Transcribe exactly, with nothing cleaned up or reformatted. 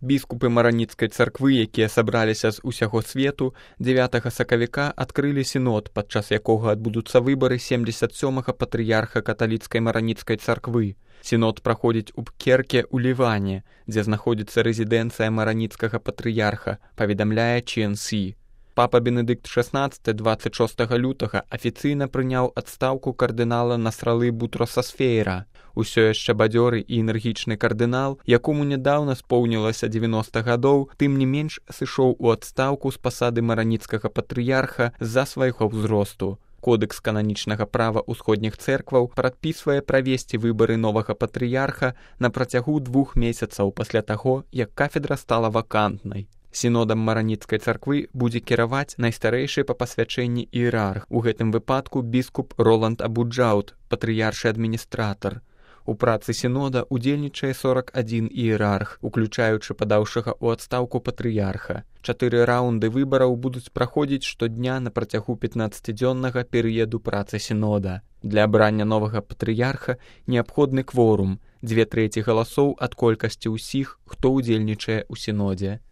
Біскупы мараніцкай царквы, якія сабраліся з усяго свету, дзевятага сакавіка адкрылі сінод, падчас якога адбудуцца выбары семдзесят сёмага патрыярха каталіцкай мараніцкай царквы. Сінод праходзіць у Бкерке ў Ліване, дзе знаходзіцца рэзідэнцыя мараніцкага патрыярха, паведамляе Чи Эн Сі. Папа Бенедыкт шаснаццаты дваццаць шостага лютага афіцыйна прыняў адстаўку кардынала Насралы Бутраса Сфейра. Усё яшчэ бадзёры і энергічны кардынал, якому нядаўна споўнілася дзевяноста гадоў, тым не менш сышоў у адстаўку з пасады мараніцкага патрыярха з-за свайго ўзросту. Кодэкс кананічнага права ўсходніх цэркваў прадпісвае правесці выбары новага патрыярха на працягу двух месяцаў пасля таго, як кафедра стала вакантнай. Сінодам мараніцкай царквы будзе кіраваць найстарэйшы па пасвячэнні іерарх, у гэтым выпадку біскуп Роланд Абуджаут, патрыяршы адміністратар. У працы сінода удзельнічае сорак адзін іерарх, уключаючы падаўшага ў адстаўку патрыярха. Чатыры раўнды выбараў будуць праходзіць штодня на працягу пятнаццацідзённага перыяду працы сінода. Для абрання новага патрыярха неабходны кворум, дзве трэці галасоў ад колькасці ўсіх, хто ўдзельнічае ў сінодзе.